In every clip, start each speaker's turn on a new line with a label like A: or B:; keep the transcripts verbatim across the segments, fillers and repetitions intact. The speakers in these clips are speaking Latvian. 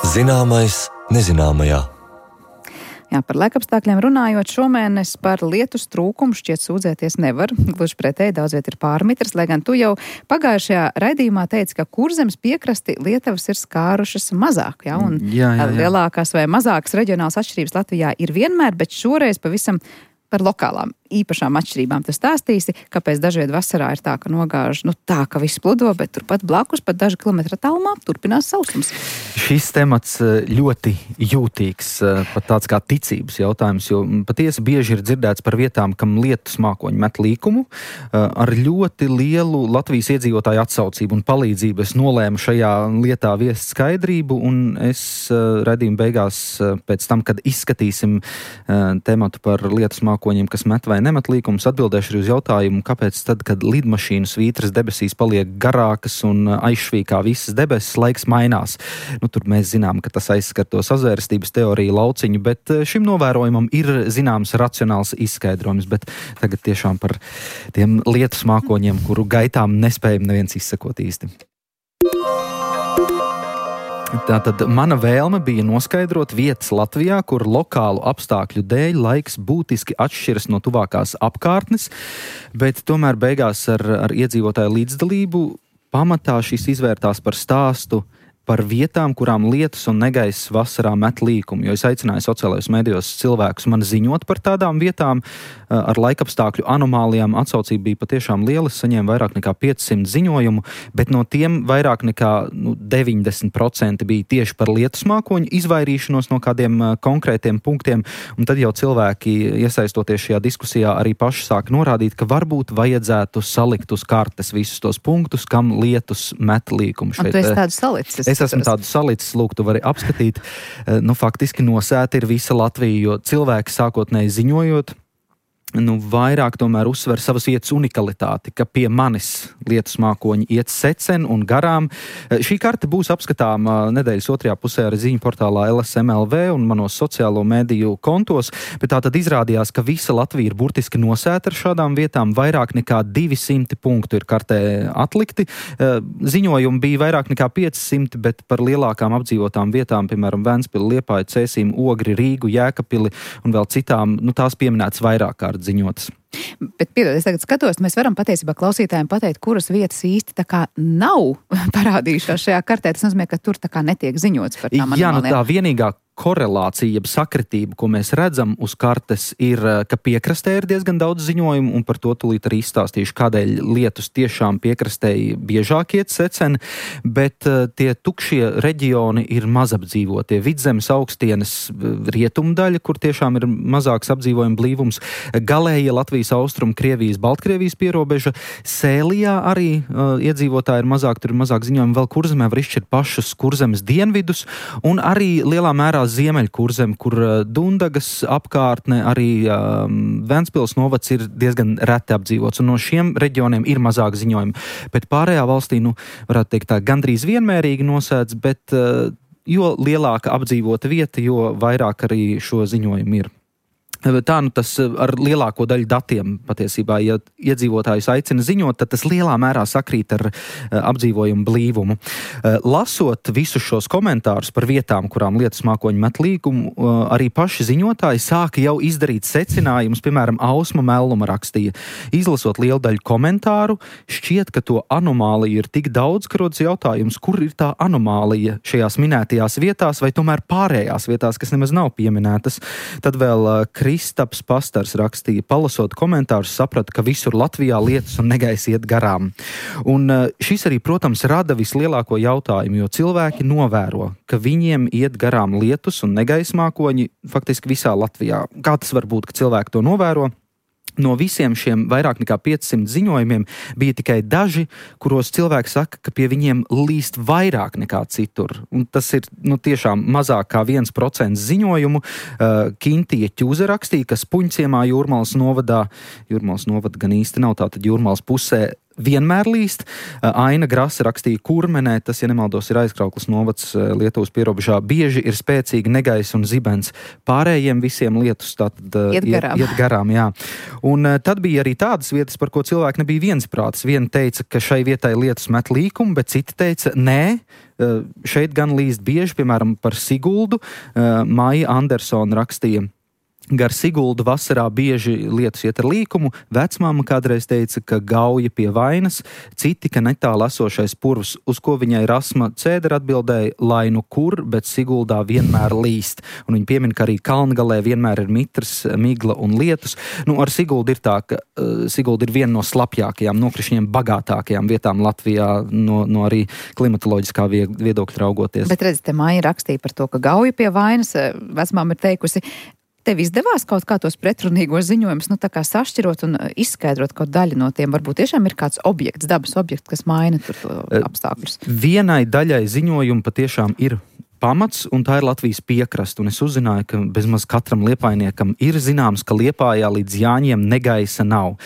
A: Zināmais nezināmajā.
B: Jā, par laikapstākļiem runājot, šomēnes par lietus trūkumu šķiet sūdzēties nevar. Gluži pretēji, daudz viet ir pārmitrs, lai gan tu jau pagājušajā raidījumā teici, ka Kurzemes piekrasti Lietuvas ir skārušas mazāk, jā, un
C: jā, jā, jā.
B: lielākās vai mazākas reģionālas atšķirības Latvijā ir vienmēr, bet šoreiz pavisam par lokālām īpašām atšķirībām tu stāstīsi, kāpēc dažviet vasarā ir tā, ka nogāž, nu tā, ka viss pludo, bet turpat blakus, pat daži kilometri tālumā, turpinās sausums.
C: Šis temats ļoti jūtīgs, pat tāds kā ticības jautājums, jo patiesi bieži ir dzirdēts par vietām, kam lietus mākoņi met līkumu. Ar ļoti lielu Latvijas iedzīvotāju atsaucību un palīdzību es nolēmu šajā lietā viest skaidrību, un es raidījuma beigās pēc tam, kad izskatīsim tematu par lietus mākoņiem, kas met vai nemet līkumus, atbildēšu arī uz jautājumu, kāpēc tad, kad lidmašīnu svītras debesīs paliek garākas un aizšvīkā visas debesis, laiks mainās. Nu, tur mēs zinām, ka tas aizskar to sazvērstības teoriju lauciņu, bet šim novērojumam ir zināms racionāls izskaidrojums, bet tagad tiešām par tiem lietus mākoņiem, kuru gaitām nespējam neviens izsekot īsti. Tātad mana vēlme bija noskaidrot vietas Latvijā, kur lokālu apstākļu dēļ laiks būtiski atšķiras no tuvākās apkārtnes, bet tomēr beigās ar, ar iedzīvotāju līdzdalību pamatā šis izvērtās par stāstu par vietām, kurām lietus un negaiss vasarā met līkumu, jo es aicināju sociālajos medijos cilvēkus man ziņot par tādām vietām ar laikapstākļu anomālijām. Atsaucība bija patiešām liela, es saņēmu vairāk nekā piecsimt ziņojumu, bet no tiem vairāk nekā nu, deviņdesmit procenti bija tieši par lietus mākoņu izvairīšanos no kādiem konkrētiem punktiem, un tad jau cilvēki, iesaistoties šajā diskusijā, arī paši sāk norādīt, ka varbūt vajadzētu salikt uz kartes visus tos punktus, kam lietus met līkumu.
B: Un tu esi tādu salicis?
C: Es esmu tādu salicis, lūk, tu vari apskatīt. Nu, faktiski nosēta ir visa Latvija, jo cilvēki sākotnēji ziņojot, nu, vairāk tomēr uzsver savas vietas unikalitāti, ka pie manis lietus mākoņi iet secen un garām. Šī karte būs apskatāma nedēļas otrajā pusē arī ziņu portālā L S M L V un manos sociālo mediju kontos, bet tā tad izrādījās, ka visa Latvija ir burtiski nosēta ar šādām vietām, vairāk nekā divi simti punktu ir kartē atlikti. Ziņojumi bija vairāk nekā piecsimt, bet par lielākām apdzīvotām vietām, piemēram, Ventspili, Liepāja, Cēsīm, Ogri, Rīgu, Jēkabpili un vēl citām, nu tās pieminētas vairāk kārt ziņotas.
B: Bet, piedod, es tagad skatos, mēs varam patiesībā klausītājiem pateikt, kuras vietas īsti tā kā nav parādījušās šajā kartē. Tas nozīmē, ka tur tā kā netiek ziņots par tām
C: Jā,
B: anomālijām.
C: Nu tā vienīgā korelācija, jeb sakritība, ko mēs redzam uz kartes, ir, ka piekrastē ir diezgan daudz ziņojumu, un par to tūlīt arī izstāstīšu, kādēļ lietus tiešām piekrastēji biežāk iet seceni, bet tie tukšie reģioni ir mazapdzīvotie. Vidzemes augstienes rietumu daļa, kur tiešām ir mazāks apdzīvojuma blīvums, galēja Latvijas austrumu, Krievijas, Baltkrievijas pierobeža, Sēlijā arī uh, iedzīvotāji ir mazāk, tur ir mazāk ziņojumi, vēl Kurzemē var izšķirt pašus Kurzemes dienvidus, un arī lielā mērā Ziemeļkurzem, kur Dundagas apkārtne, arī um, Ventspils novads ir diezgan reti apdzīvots, un no šiem reģioniem ir mazāk ziņojumi. Bet pārējā valstī, nu, varētu teikt tā, gandrīz vienmērīgi nosēdz, bet uh, jo lielāka apdzīvota vieta, jo vairāk arī šo ziņojumu ir. Tā nu tas ar lielāko daļu datiem patiesībā, ja iedzīvotājus aicina ziņot, tad tas lielā mērā sakrīt ar apdzīvojumu blīvumu. Lasot visus šos komentārus par vietām, kurām lietus mākoņi met līkumu, arī paši ziņotāji sāka jau izdarīt secinājumus, piemēram, Ausma Melluma rakstīja. Izlasot lielu daļu komentāru, šķiet, ka to anomāliju ir tik daudz, ka rodas jautājums, kur ir tā anomālija šajās minētajās vietās vai tomēr pārējās vietās, kas nemaz nav pieminētas. Tad vēl Kristaps Pastars rakstīja, palasot komentārus, sapratu, ka visur Latvijā lietus un negaisa iet garām. Un šis arī, protams, rada vislielāko jautājumu, jo cilvēki novēro, ka viņiem iet garām lietus un negaisa mākoņi faktiski visā Latvijā. Kā tas var būt, ka cilvēki to novēro? No visiem šiem vairāk nekā piecsimt ziņojumiem bija tikai daži, kuros cilvēki saka, ka pie viņiem līst vairāk nekā citur. Un tas ir nu, tiešām mazāk kā viens procents ziņojumu. Uh, Kintija Ķuze rakstīja, ka Spuņciemā Jūrmalas novadā, Jūrmalas novada gan īsti nav, tātad Jūrmalas pusē, vienmēr līst. Aina Grasa rakstīja Kurmenē, tas, ja nemaldos, ir Aizkraukles novads Lietuvas pierobežā. Bieži ir spēcīgi negaiss un zibens. Pārējiem visiem lietus tātad
B: iet garām.
C: Iet, iet garām, jā. Un tad bija arī tādas vietas, par ko cilvēki nebija viensprātis. Viena teica, ka šai vietai lietus met līkumu, bet cita teica, nē, šeit gan līst bieži, piemēram, par Siguldu. Maija Andersona rakstīja, gar Siguldu vasarā bieži lietus iet ar līkumu. Vecmāma kādreiz teica, ka gauja pie vainas, citi, ka netāli esošais purvs, uz ko viņai Rasma Cēdera atbildēja, lai nu kur, bet Siguldā vienmēr līst. Un viņa piemin, ka arī Kalngalē vienmēr ir mitrs, migla un lietus. Nu, ar Siguldu ir tā, ka uh, Sigulda ir viena no slapjākajām, nokrišņiem bagātākajām vietām Latvijā, no, no arī klimatoloģiskā viedokļa raugoties.
B: Bet redz, te Maija rakstīja par to, ka gauja pie vainas, vecmāma ir teikusi, tev izdevās kaut kā tos pretrunīgos ziņojumus, nu tā kā sašķirot un izskaidrot kaut daļu no tiem? Varbūt tiešām ir kāds objekts, dabas objekts, kas maina tur to apstākļus.
C: Vienai daļai ziņojumu patiešām ir pamats, un tā ir Latvijas piekrasta. Un es uzzināju, ka bezmaz katram liepainiekam ir zināms, ka Liepājā līdz Jāņiem negaisa nav.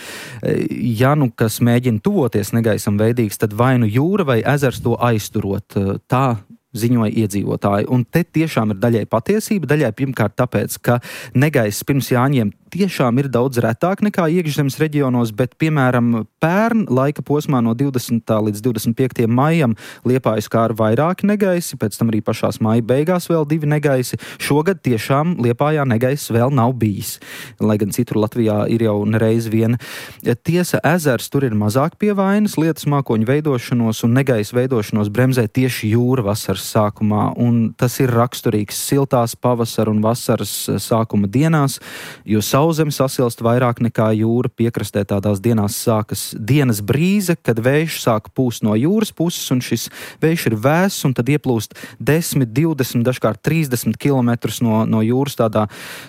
C: Ja nu kas mēģina tuvoties negaisam veidīgs, tad vai nu jūra vai ezers to aizturot. Tā ziņoja iedzīvotāji. Un te tiešām ir daļai patiesība, daļai pirmkārt tāpēc, ka negaiss pirms Jāņiem tiešām ir daudz retāk nekā iekšzemes reģionos, bet, piemēram, pērn laika posmā no divdesmitā līdz divdesmit piektajam maijam Liepāju skāra vairāki negaisi, pēc tam arī pašās maija beigās vēl divi negaisi. Šogad tiešām Liepājā negaiss vēl nav bijis, lai gan citur Latvijā ir jau nereiz viena. Tiesa, ezers tur ir mazāk pie vainas, lietus mākoņu veidošanos un negaisa veidošanos bremzē tieši jūra vasaras sākumā, un tas ir raksturīgs siltās pavasara un vasaras sākuma dienās, jo sauzeme sasilst vairāk nekā jūra. Piekrastē tādās dienās sākas dienas brīze, kad vējš sāk pūst no jūras puses, un šis vējš ir vēss, un tad ieplūst desmit, divdesmit, dažkārt trīsdesmit kilometrus no, no jūras tādā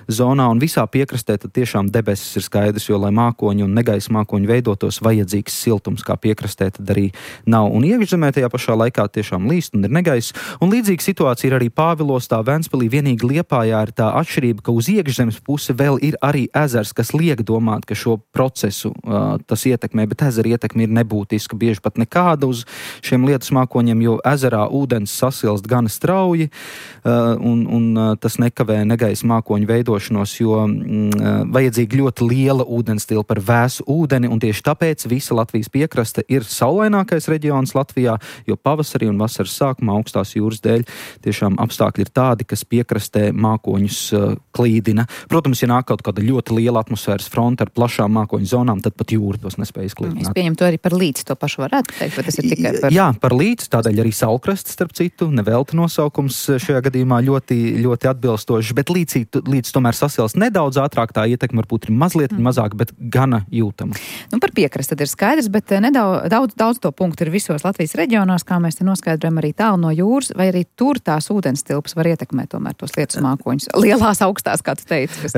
C: zonā, un visā piekrastē tad tiešām debesis ir skaidrs, jo, lai mākoņi un negaisa mākoņi veidotos, vajadzīgs siltums, kā piekrastē tad arī nav. Un iekšzemē tajā pašā laikā tiešām līst un ir negaiss. Un līdzīga situācija ir arī Pāvilostā, Ventspilī. Vienīgi Liepājā ir tā atšķirība, ka uz iekšzemes pusi vēl ir arī ezers, kas liek domāt, ka šo procesu uh, tas ietekmē, bet ezera ietekme ir nebūtiska, bieži pat nekāda uz šiem lietus mākoņiem, jo ezerā ūdens sasilst gana strauji, uh, un, un uh, tas nekavē negaisa mākoņu veidošanos, jo mm, vajadzīga ļoti liela ūdenstilpa par vēsu ūdeni, un tieši tāpēc visa Latvijas piekraste ir saulainākais reģions Latvijā, jo pavasarī un vasaras sākumā augstās jūras dēļ tiešām apstākļi ir tādi, kas piekrastē mākoņus uh, klīdina. Protams, ja nāk kaut kāda ļoti liela atmosfēras fronte ar plašām mākoņu zonām, tad pat jūra tos nespēj izklīdināt.
B: Es pieņemu to arī par līdzi, to pašu varētu teikt, bet tas ir tikai par...
C: Jā, par līdzi, tādēļ arī saulkrasts, starp citu, nevelti nosaukums šajā gadījumā ļoti, ļoti atbilstošs, bet līdzi, līdzi tomēr sasilst nedaudz ātrāk, tā ietekme varbūt ir mazliet mm. mazāk, bet gana jūtama.
B: Nu, par piekrasti tad ir skaidrs, bet nedaudz, daudz, daudz to punktu ir visos Latvijas reģionos, kā mēs te noskaidrojam arī tālu no jūras, vai arī tur tās ūdenstilpas var ietekmēt tomēr tos lietus mākoņus. Lielās, augstās, kā tu teici. Kas...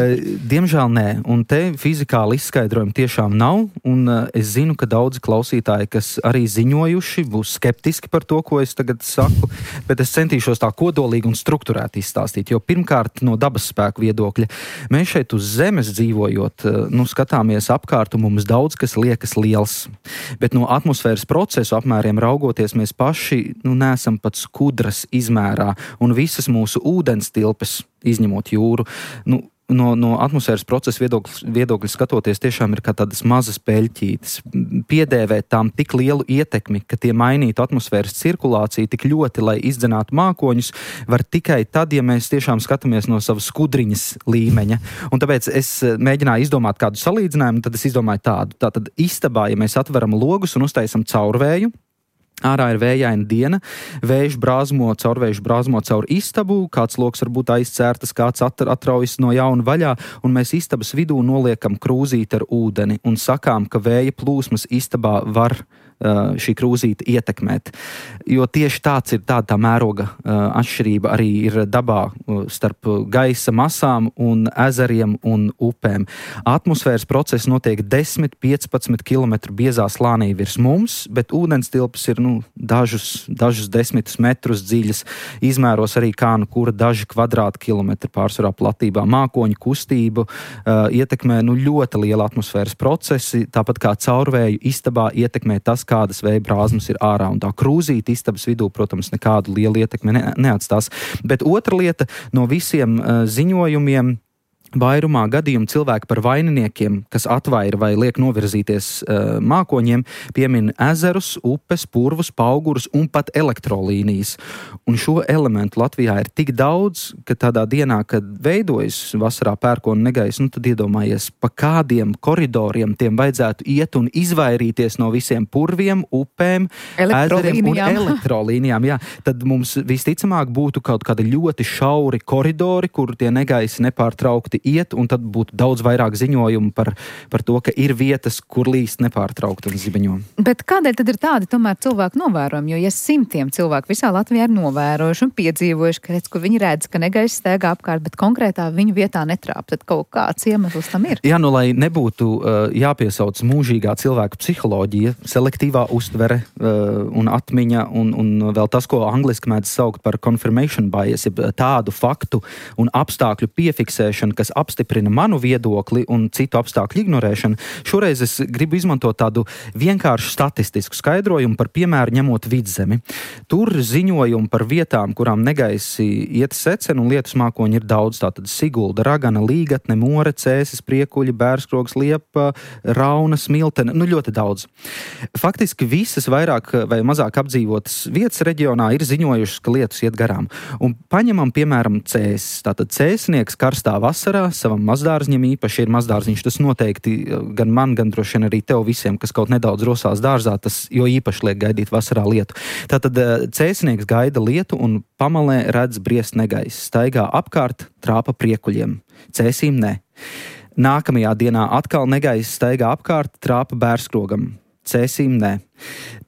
C: Diemžēl nē, un te fizikāli izskaidrojumi tiešām nav, un es zinu, ka daudzi klausītāji, kas arī ziņojuši, būs skeptiski par to, ko es tagad saku, bet es centīšos tā kodolīgi un strukturēti izstāstīt, jo pirmkārt no dabas spēku viedokļa mēs šeit uz zemes dzīvojot, nu, skatāmies apkārt, un mums daudz kas liekas liels, bet no atmosfēras procesu apmēriem raugoties, mēs paši, nu, neesam pat skudras izmērā, un visas mūsu ūdenstilpes, izņemot jūru, nu, no, no atmosfēras procesa viedokļa, viedokļa skatoties, tiešām ir kā tādas mazas peļķītes. Piedēvēt tām tik lielu ietekmi, ka tie mainītu atmosfēras cirkulāciju tik ļoti, lai izdzenātu mākoņus, var tikai tad, ja mēs tiešām skatāmies no savas skudriņas līmeņa. Un tāpēc es mēģināju izdomāt kādu salīdzinājumu, tad es izdomāju tādu. Tātad istabā, ja mēs atveram logus un uztaisam caurvēju, ārā ir vējaina diena, vējš brāzmo, caurvējš brāzmo caur istabu, kāds loks varbūt aizcērtas, kāds atraujas no jauna vaļā, un mēs istabas vidū noliekam krūzīti ar ūdeni un sakām, ka vēja plūsmas istabā var šī krūzīte ietekmēt. Jo tieši tāds ir tāda tā mēroga atšķirība arī ir dabā starp gaisa masām un ezeriem un upēm. Atmosfēras process notiek desmit līdz piecpadsmit kilometru biezā slānī virs mums, bet ūdens tilpes ir nu, dažus, dažus desmitus metrus dziļas. Izmēros arī kā nu kura daži kvadrātkilometri pārsvarā platībā. Mākoņu kustību uh, ietekmē nu, ļoti liela atmosfēras procesi, tāpat kā caurvēju istabā ietekmē tas, kādas vēja brāzmas ir ārā. Un tā krūzīte istabas vidū, protams, nekādu lielu ietekmi ne, neatstās. Bet otra lieta no visiem uh, ziņojumiem, vairumā gadījumu cilvēki par vaininiekiem, kas atvaira vai liek novirzīties uh, mākoņiem, piemin ezerus, upes, purvus, paugurus un pat elektrolīnijas. Un šo elementu Latvijā ir tik daudz, ka tādā dienā, kad veidojas vasarā pērkona negaiss, nu tad iedomājies, pa kādiem koridoriem tiem vajadzētu iet un izvairīties no visiem purviem, upēm, ezeriem un elektrolīnijām. Jā, tad mums visticamāk būtu kaut kādi ļoti šauri koridori, kur tie negaisi nepārtraukti iet, un tad būtu daudz vairāk ziņojumu par, par to, ka ir vietas, kur līst nepārtraukti un zibeņo.
B: Bet kādēļ tad ir tādi tomēr cilvēku novērojumi? Jo ja simtiem cilvēku visā Latvijā ir novērojuši un piedzīvojuši, ka, redz, ka viņi redz, ka negaiss staigā apkārt, bet konkrētā viņu vietā netrāp, tad kaut kāds iemesls tam ir.
C: Jā, nu, lai nebūtu uh, jāpiesauc mūžīgā cilvēka psiholoģija, selektīvā uztvere uh, un atmiņa un, un vēl tas, ko angliski mēdz saukt par confirmation bias, ir tādu faktu un apstākļu piefiksēšana, kas apstiprina manu viedokli un citu apstākļu ignorēšanu. Šoreiz es gribu izmantot tādu vienkāršu statistisku skaidrojumu par piemēru ņemot Vidzemi. Tur ziņojumu par vietām, kurām negaisi iet secen un lietus mākoņi ir daudz. Tātad Sigulda, Ragana, Līgatne, More, Cēsis, Priekuļi, Bērskrogs, Liepa, Rauna, Smiltene, nu ļoti daudz. Faktiski visas vairāk vai mazāk apdzīvotas vietas reģionā ir ziņojušas, ka lietus iet garām. Un paņemam piemēram Cēsis. Tātad cēsnieks karstā vasarā savam mazdārziņam, īpaši ir mazdārziņš, tas noteikti gan man, gan droši vien arī tev visiem, kas kaut nedaudz rosās dārzā, tas jo īpaši liek gaidīt vasarā lietu. Tātad cēsnieks gaida lietu un pamalē redz briest negaiss. Staigā apkārt, trāpa priekuļiem. Cēsīm ne. Nākamajā dienā atkal negaiss staigā apkārt, trāpa Bērskrogam. Cēsīm ne.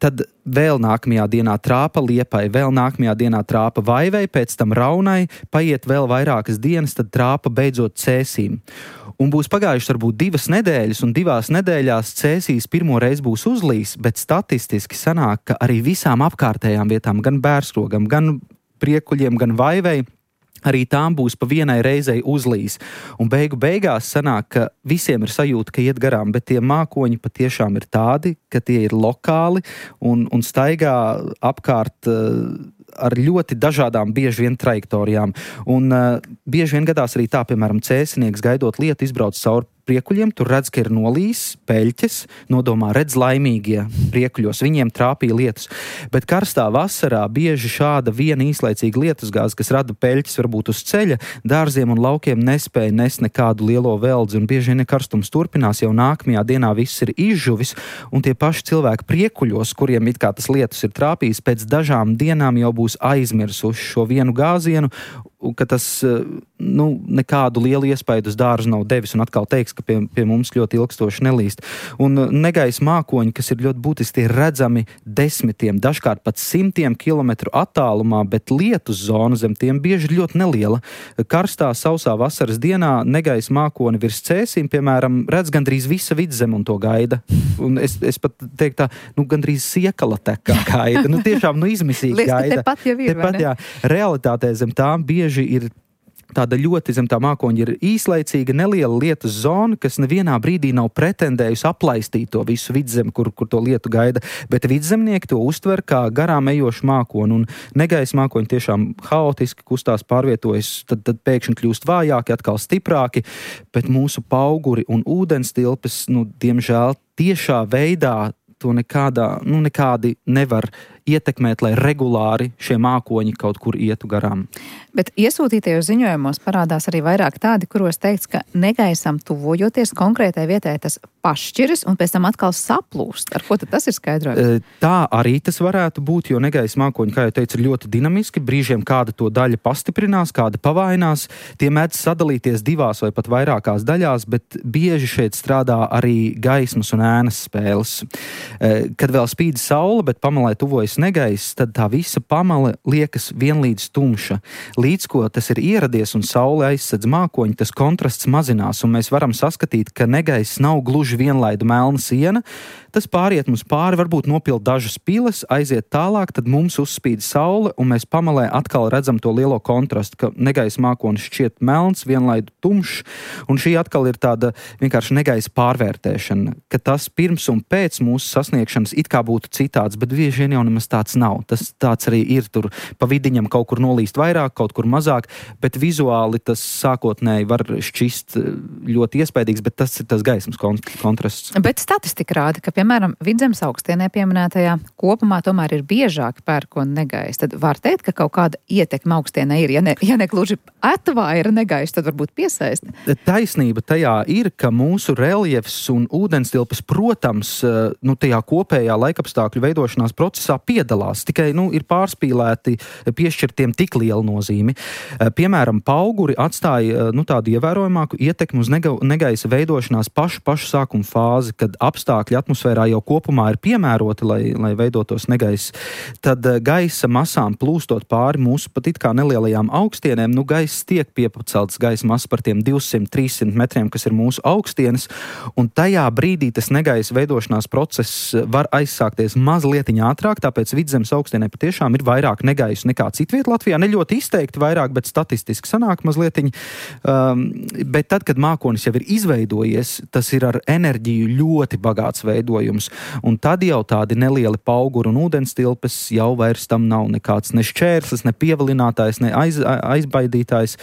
C: Tad vēl nākamajā dienā trāpa Liepai, vēl nākamajā dienā trāpa Vaivei, pēc tam Raunai, paiet vēl vairākas dienas, tad trāpa beidzot Cēsīm. Un būs pagājušas varbūt divas nedēļas, un divās nedēļās Cēsīs pirmo reizi būs uzlīs, bet statistiski sanāk, ka arī visām apkārtējām vietām, gan Bērskrogam, gan Priekuļiem, gan Vaivei, arī tām būs pa vienai reizei uzlīs. Un beigu beigās sanāk, ka visiem ir sajūta, ka iet garām, bet tie mākoņi patiešām ir tādi, ka tie ir lokāli un, un staigā apkārt uh, ar ļoti dažādām bieži vien trajektorijām. Un uh, bieži vien gadās arī tā, piemēram, cēsinieks gaidot lietu izbrauc cauri Priekuļiem, tur redz, ka ir nolīs, peļķes, nodomā redz laimīgie priekuļos, viņiem trāpīja lietus. Bet karstā vasarā bieži šāda viena īslaicīga lietusgāze, kas rada peļķes varbūt uz ceļa, dārziem un laukiem nespēja nest nekādu lielo veldzi, un bieži vien karstums turpinās, jau nākamajā dienā viss ir izžuvis, un tie paši cilvēki Priekuļos, kuriem it kā tas lietus ir trāpījis, pēc dažām dienām jau būs aizmirsuši šo vienu gāzienu, un ka tas nu, nekādu lielu iespaidu uz dārzu nav devis, un atkal teiks, ka pie, pie mums ļoti ilgstoši nelīst. Un negaisa mākoņi, kas ir ļoti būtiski, tie redzami desmitiem, dažkārt pat simtiem kilometru attālumā, bet lietus zona zem tiem bieži ļoti neliela. Karstā, sausā vasaras dienā negaisa mākoni virs Cēsīm, piemēram, redz gandrīz visa Vidzeme un to gaida. Un es, es pat teiktu tā, nu, gandrīz siekala tekā gaida. Nu, tiešām, nu, izmisīgi gaida.
B: Tepat jau ir,
C: tepat, jā, realitātē zem tām bieži ir tāda ļoti zem tā mākoņa ir īslaicīga, neliela lietus zona, kas nevienā brīdī nav pretendējusi aplaistīt to visu Vidzemi, kur, kur to lietu gaida, bet vidzemnieki to uztver kā garām ejošu mākoni, un negaisa mākoņi tiešām haotiski kustās, pārvietojas, tad, tad pēkšņi kļūst vājāki, atkal stiprāki, bet mūsu pauguri un ūdens tilpes, nu, diemžēl tiešā veidā to nekādā, nu, nekādi nevar ietekmēt, lai regulāri šie mākoņi kaut kur ietu garām.
B: Bet iesūtītajos ziņojumos parādās arī vairāk tādi, kuros teikts, ka negaisam tuvojoties konkrētai vietai tas pašķiras un pēc tam atkal saplūst. Ar ko tad tas ir skaidrojums?
C: Tā arī tas varētu būt, jo negaisa mākoņi, kā jau teicu, ir ļoti dinamiski. Brīžiem kāda to daļa pastiprinās, kāda pavainās. Tie mēdz sadalīties divās vai pat vairākās daļās, bet bieži šeit strādā arī gaismas un ēnas spēles. Kad vēl spīd saule, bet pamalē tuvojas negaiss, tad tā visa pamale liekas vienlīdz tumša. Līdz ko tas ir ieradies un saule aizsedz mākoņi, tas kontrasts mazinās, un mēs varam saskatīt, ka negaiss nav gluži vienlaida melna siena. Tas pāriet mums pāri, varbūt nopild dažas piles, aiziet tālāk, tad mums uzspīd saule, un mēs pamalē atkal redzam to lielo kontrastu, ka negaisa mākonis šķiet melns, vienlaidu tumšs, un šī atkal ir tāda vienkārši negaisa pārvērtēšana, ka tas pirms un pēc mūsu sasniegšanas it kā būtu citāds, bet bieži vien jau nemaz tāds nav. Tas tāds arī ir, tur pa vidiņam kaut kur nolīst vairāk, kaut kur mazāk, bet vizuāli tas sākotnēji var šķist ļoti iespaidīgs, bet tas ir tas gaismas kontrasts.
B: Bet statistika rāda, ka piemēram, Vidzemes augstienē pieminētajā kopumā tomēr ir biežāk pērkona negaisa. Tad var teikt, ka kaut kāda ietekme augstienē ir. Ja ne, ja ne gluži atvaira negaisa, tad varbūt piesaista.
C: Taisnība tajā ir, ka mūsu reljefs un ūdenstilpes, protams, nu, tajā kopējā laikapstākļu veidošanās procesā piedalās. Tikai, nu, ir pārspīlēti piešķirtiem tik lielu nozīmi. Piemēram, pauguri atstāja, nu, tādu ievērojamāku ietekmi uz nega, negaisa veidošanās pašu, pašu sākuma fāzi, kad apstākļi atmosfērā jau kopumā ir piemēroti, lai, lai veidotos negaiss, tad gaisa masām plūstot pāri mūsu pat it kā nelielajām augstienēm, nu gaiss tiek piepacelts gaisa masa par tiem divsimt līdz trīssimt metriem, kas ir mūsu augstienes, un tajā brīdī tas negaisa veidošanās process var aizsākties mazlietiņ ātrāk, tāpēc Vidzemes augstienē patiešām ir vairāk negaisu nekā citviet Latvijā, ne ļoti izteikti vairāk, bet statistiski sanāk mazlietiņ, um, bet tad, kad mākonis jau ir izveidojies, tas ir ar enerģiju ļoti bagāts veidojums. Un tad jau tādi nelieli pauguri un ūdenstilpes jau vairs tam nav nekāds ne šķērslis, ne pievilinātājs, ne aiz, aizbaidītājs.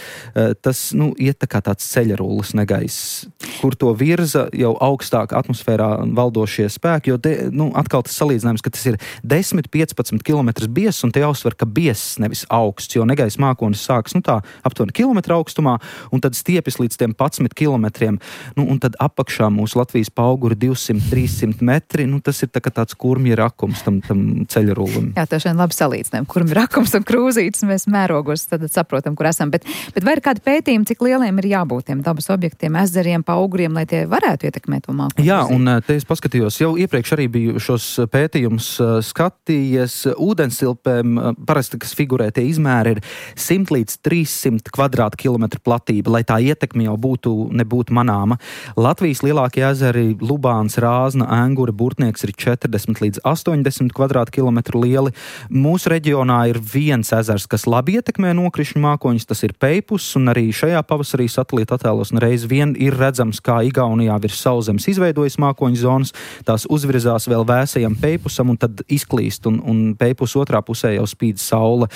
C: Tas, nu, iet tā kā tāds ceļarullis negaiss, kur to virza jau augstāk atmosfērā valdošie spēki, jo te, nu, atkal tas salīdzinājums, ka tas ir desmit līdz piecpadsmit kilometrus biezs, un te jāuzsver, ka biezs nevis augsts, jo negaisa mākonis sākas, nu tā, aptuveni kilometra augstumā, un tad stiepjas līdz tiem padsmit kilometriem, nu, un tad apakšā mūsu Latvijas pauguri divsimt līdz trīssimt metri, nu tas ir tā kā tāds kurmja rakums tam, tam ceļarullim.
B: Jā, tā šodien labi salīdzinājumi. Kurmja rakums un krūzītes, mēs mērogos tad saprotam, kur esam. Bet, bet vai ir kādi pētījumi, cik lieliem ir jābūt tiem dabas objektiem, ezeriem, pauguriem, lai tie varētu ietekmēt to mākoni?
C: Jā, un te es paskatījos, jau iepriekš arī biju šos pētījumus skatījies. Ūdenstilpēm parasti, kas figurē, tie izmēri ir simt līdz trīssimt kvadrātkilometru platība, lai tā ietekme jau būtu, nebūtu manāma. Latvijas lielākie ezeri, Lubāns, Rāzna, Engure, Burtnieks ir četrdesmit līdz astoņdesmit kvadrātkilometru lieli. Mūsu reģionā ir viens ezers, kas labi ietekmē nokrišņu mākoņus, tas ir Peipus, un arī šajā pavasarī satelīta attēlos reiz vien ir redzams, kā Igaunijā virs sauszemes izveidojas mākoņu zonas, tās uzvirzās vēl vēsajam Peipusam un tad izklīst, un, un Peipus otrā pusē jau spīd saule.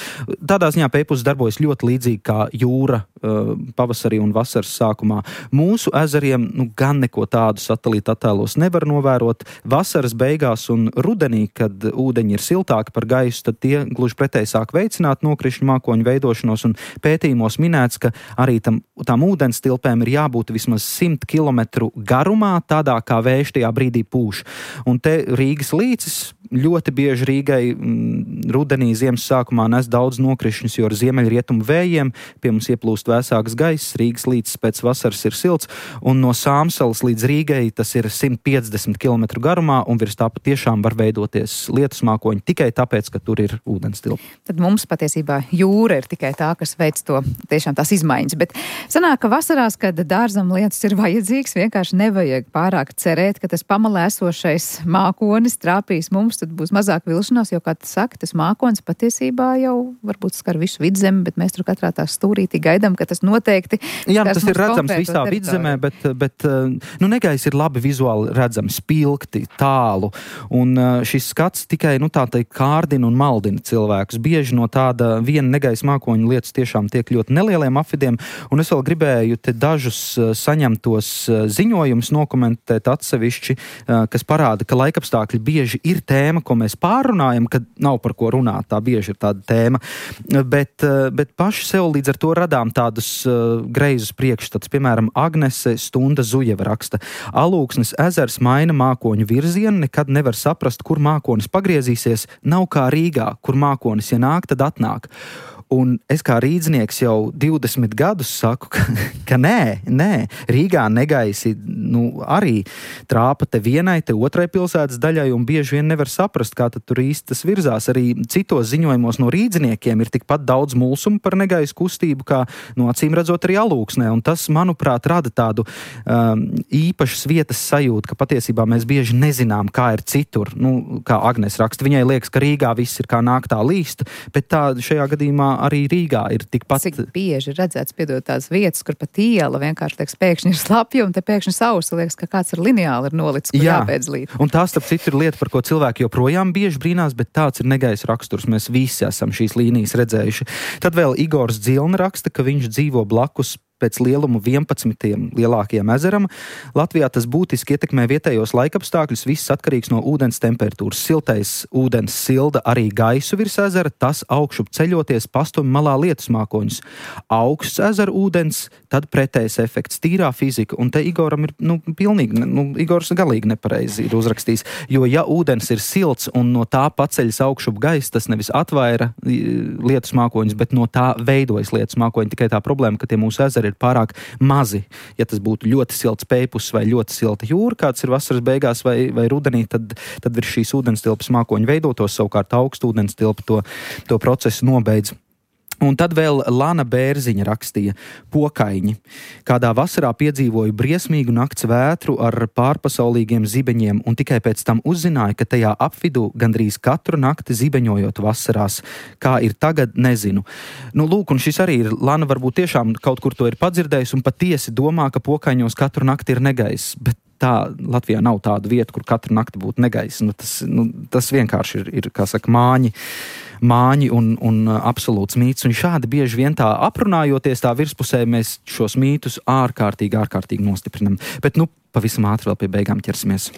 C: Tādā ziņā Peipus darbojas ļoti līdzīgi kā jūra uh, pavasarī un vasaras sākumā. Mūsu ezeriem, nu, gan neko tādu satelīta attēlos nevar novērot. Vasaras beigās un rudenī, kad ūdeņi ir siltāki par gaisu, tad tie gluži pretēji sāk veicināt nokrišņu mākoņu veidošanos, un pētījumos minēts, ka arī tam, tām ūdens tilpēm ir jābūt vismaz simt kilometru garumā, tādā kā vējš tajā brīdī pūš. Un te Rīgas līcis ļoti bieži Rīgai m, rudenī, ziemas sākumā nes daudz nokrišņus, jo ar ziemeļrietumu vējiem pie mums ieplūst vēsāks gaiss, Rīgas līcis pēc vasaras ir silts, un no Sāmsalas līdz Rīgai tas ir simt piecdesmit kilometru garumā, un virs tā patiešām var veidoties lietus mākoņi tikai tāpēc, ka tur ir ūdenstilpa.
B: Tad mums patiesībā jūra ir tikai tā, kas veic to tiešām tās izmaiņas, bet sanāk, ka vasarās, kad dārzam lietus ir vajadzīgs, vienkārši nevajag pārāk cerēt, ka tas pamalē esošais mākonis trāpīs mums, tad būs mazāk vilšanās, jo, kā tu saki, tas mākonis patiesībā jau varbūt skar visu Vidzemi, bet mēs tur katrā tā stūrītī gaidām, ka tas noteikti
C: Jā, tas ir redzams visā Vidzemē, bet, bet nu, negaiss ir labi vizuāli redzams, spilgti, tālu, un šis skats tikai, nu, tā teikt, kārdina un maldina cilvēkus. Bieži no tāda viena negaisa mākoņu lietas tiešām tiek ļoti nelieliem apvidiem, un es vēl gribēju te dažus saņemtos ziņojumus nokomentēt atsevišķi, kas parāda, ka laikapstākļi bieži ir tēma tēma, ko mēs pārunājam, kad nav par ko runāt, tā bieži ir tāda tēma, bet, bet paši sev līdz ar to radām tādus uh, greizus priekšstats. Piemēram, Agnese Stunda Zujeva raksta: Alūksnes ezers maina mākoņu virzienu, nekad nevar saprast, kur mākonis pagriezīsies, nav kā Rīgā, kur mākonis, ja nāk, tad atnāk. Un es kā rīdznieks jau divdesmit gadus saku, ka, ka nē, nē, Rīgā negaisi, nu, arī trāpa te vienai, te otrai pilsētas daļai, un bieži vien nevar saprast, kā tad tur īsti tas virzās. Arī citos ziņojumos no rīdzniekiem ir tikpat daudz mulsumu par negaisu kustību, kā, nu, acīm redzot arī Alūksnē, un tas, manuprāt, rada tādu um, īpašas vietas sajūtu, ka patiesībā mēs bieži nezinām, kā ir citur. Nu, kā Agnes raksta, viņai liekas, ka Rīgā viss ir kā nāktā līst, bet tā šajā gadījumā arī Rīgā ir tikpat.
B: Cik bieži redzēts, piedod, tās vietas, kur pat iela vienkārši liekas, pēkšņi ir slapja, un te pēkšņi sausa liekas, ka kāds ar lineāli ir nolicis, kur jāpēdzlīt.
C: Un tā, starp citu, ir lieta, par ko cilvēki joprojām bieži brīnās, bet tāds ir negaisa raksturs. Mēs visi esam šīs līnijas redzējuši. Tad vēl Igors Dzilna raksta, ka viņš dzīvo blakus pēc lielumu vienpadsmitiem lielākajam ezeram. Latvijā tas būtiski ietekmē vietējos laikapstākļus, viss atkarīgs no ūdens temperatūras. Siltais ūdens silda arī gaisu virs ezera, tas augšup ceļoties pastumj malā lietusmākoņus. Augsts ezera ūdens, tad pretējs efekts, tīrā fizika, un te Igoram ir, nu, pilnīgi, nu, Igors galīgi nepareizi ir uzrakstījis, jo ja ūdens ir silts un no tā paceļas augšup gaiss, tas nevis atvaira lietusmākoņus, bet no tā veidojas lietusmākoņi, tikai tā problēma, ka tie mūsu ezeri ir pārāk mazi. Ja tas būtu ļoti silts pējpus vai ļoti silta jūra, kāds ir vasaras beigās vai, vai rudenī, tad, tad virs šīs ūdenstilpas mākoņi veidotos, savukārt augstu ūdenstilpa to, to procesu nobeidz. Un tad vēl Lana Bērziņa rakstīja: Pokaiņi. Kādā vasarā piedzīvoju briesmīgu nakts vētru ar pārpasaulīgiem zibeņiem, un tikai pēc tam uzzināju, ka tajā apvidū gandrīz katru nakti zibeņojot vasarās. Kā ir tagad, nezinu. Nu, lūk, un šis arī ir, Lana varbūt tiešām kaut kur to ir padzirdējis un patiesi domā, ka Pokaiņos katru nakti ir negaiss, bet tā Latvijā nav tāda vieta, kur katru nakti būtu negaiss. Nu, tas, nu, tas vienkārši ir, ir, kā saka, māņi. māņi un, un absolūts mīts, un šādi bieži vien tā aprunājoties tā virspusē mēs šos mītus ārkārtīgi, ārkārtīgi nostiprinam. Bet, nu, pavisam ātri vēl pie beigām ķersimies.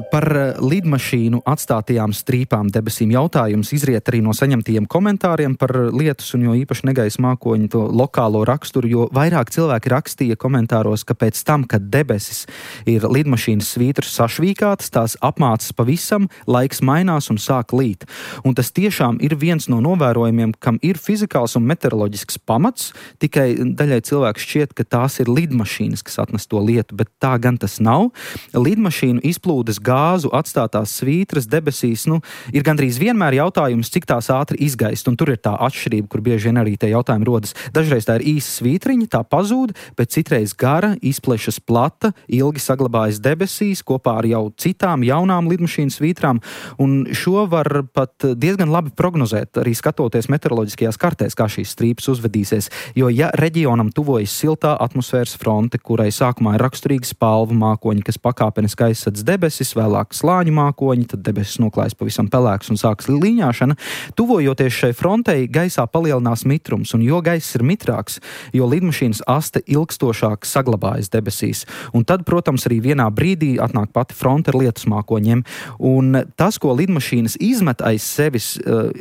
C: Par lidmašīnu atstātajām strīpām debesīm jautājums izriet arī no saņemtajiem komentāriem par lietus un jo īpaši negaisa mākoņu to lokālo raksturu, jo vairāk cilvēki rakstīja komentāros, ka pēc tam, kad debesis ir lidmašīnas svītras sašvīkātas, tās apmācas pavisam, laiks mainās un sāk līt. Un tas tiešām ir viens no novērojumiem, kam ir fizikāls un meteoroloģisks pamats, tikai daļai cilvēku šķiet, ka tās ir lidmašīnas, kas atnes to lietu, bet tā gan tas nav. Lidmašīnu izplūst gāzu atstātās svītras debesīs, nu, ir gandrīz vienmēr jautājums, cik tās ātri izgaist, un tur ir tā atšķirība, kur bieži vien arī tie jautājumi rodas. Dažreiz tā ir īsa svītriņa, tā pazūd, bet citreiz gara, izplešas plata, ilgi saglabājas debesīs, kopā ar jau citām jaunām lidmašīnas svītrām, un šo var pat diezgan labi prognozēt, arī skatoties meteoroloģiskajās kartēs, kā šīs strīpas uzvedīsies, jo ja reģionam tuvojas siltā atmosfēras fronte, kurai sākumā ir raksturīgi spalvu mākoņi, kas pakāpeniski aizsadz debesis, vēlāk slāņu mākoņi, tad debesis noklājas pavisam pelēks un sākas līņāšana. Tuvojoties šai frontei, gaisā palielinās mitrums, un jo gaiss ir mitrāks, jo lidmašīnas aste ilgstošāk saglabājas debesīs. Un tad, protams, arī vienā brīdī atnāk pati fronte ar lietusmākoņiem. Un tas, ko lidmašīnas izmet aiz sevis,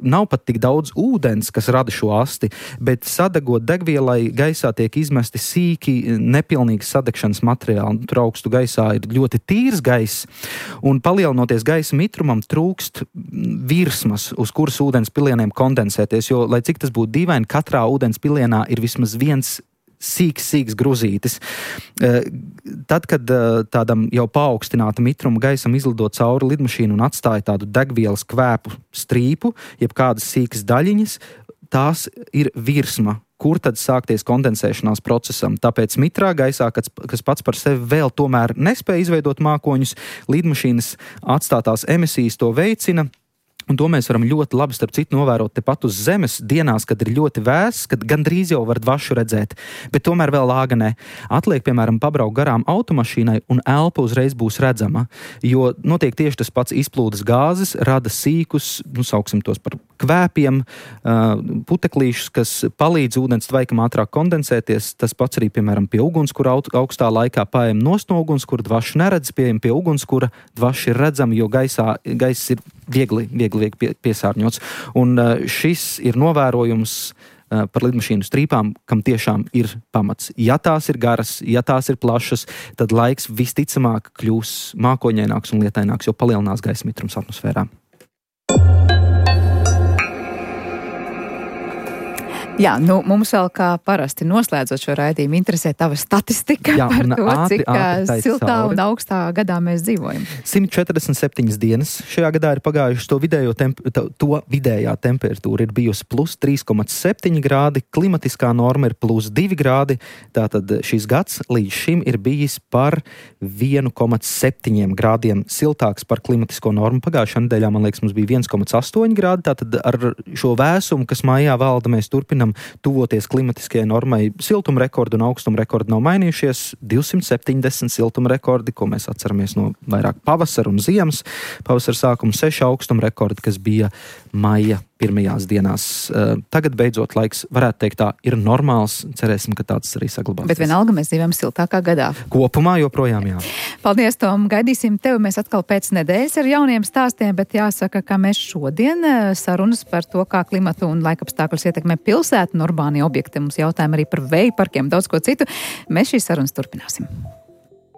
C: nav pat tik daudz ūdens, kas rada šo asti, bet sadegot degvielai gaisā tiek izmesti sīki, nepilnīgi sadegšanas materiāli. Tur augstu gaisā ir ļoti tīrs gaiss, un palielinoties gaisa mitrumam trūkst virsmas, uz kuras ūdens pilieniem kondensēties, jo, lai cik tas būtu dīvaini, katrā ūdens pilienā ir vismaz viens sīks, sīks gruzītis. Tad, kad tādam jau paaugstināta mitruma gaisam izlido cauri lidmašīnu un atstāja tādu degvielas kvēpu strīpu, jeb kādas sīkas daļiņas, tās ir virsma, kur tad sākties kondensēšanās procesam. Tāpēc mitrā gaisā, kas, kas pats par sevi vēl tomēr nespēja izveidot mākoņus, lidmašīnas atstātās emisijas to veicina, Un to mēs varam ļoti labi, starp citu, novērot tepat uz zemes dienās, kad ir ļoti vēss, kad gandrīz jau var dvašu redzēt, bet tomēr vēl lāga ne. Atliek, piemēram, pabraukt garām automašīnai un elpa uzreiz būs redzama, jo notiek tieši tas pats izplūdes gāzes, rada sīkus, nu, sauksim tos par kvēpiem, puteklīšus, kas palīdz ūdens tvaikam ātrāk kondensēties. Tas pats arī, piemēram, pie ugunskura augstā laikā paejam nost no ugunskura, dvašu neredz, pieejam pie ugunskura, dvaši ir redzami, jo gaisā, gaiss ir viegli, viegli, viegli piesārņots. Un šis ir novērojums par lidmašīnu strīpām, kam tiešām ir pamats. Ja tās ir garas, ja tās ir plašas, tad laiks visticamāk kļūs mākoņaināks un lietaināks, jo palielinās gaisa mitrums atmosfērā.
B: Jā, nu, mums vēl kā parasti noslēdzot šo raidījumu interesē tava statistika Jā, par to, ātri, cik ātri siltā cauri. Un augstā gadā mēs dzīvojam.
C: simt četrdesmit septiņas dienas šajā gadā ir pagājušas, to, vidējo temp, to vidējā temperatūra ir bijusi plus trīs komats septiņi grādi, klimatiskā norma ir plus divi grādi, tātad šis gads līdz šim ir bijis par viens komats septiņi grādiem siltāks par klimatisko normu. Pagājušā nedēļā, man liekas, mums bija viens komats astoņi grādi, tātad ar šo vēsumu, kas mājā valda, mēs turpinām tuvoties klimatiskajai normai. Siltuma rekordi un augstuma rekordi nav mainījušies. divsimt septiņdesmit siltuma rekordi, ko mēs atceramies no vairāk pavasara un ziemas. Pavasara sākuma seši augstuma rekordi, kas bija maija pirmajās dienās. Tagad beidzot laiks, varētu teikt tā, ir normāls. Cerēsim, ka tāds arī saglabāsies.
B: Bet vienalga mēs dzīvojam siltākā gadā.
C: Kopumā joprojām jā.
B: Paldies, Tom. Gaidīsim tevi mēs atkal pēc nedēļas ar jauniem stāstiem, bet jāsaka, ka mēs šodien sarunas par to, kā klimatu un laikapstākļus ietekmē pilsētu un urbānie objekti. Mums jautājumi arī par vēja parkiem, daudz ko citu. Mēs šīs sarunas turpināsim.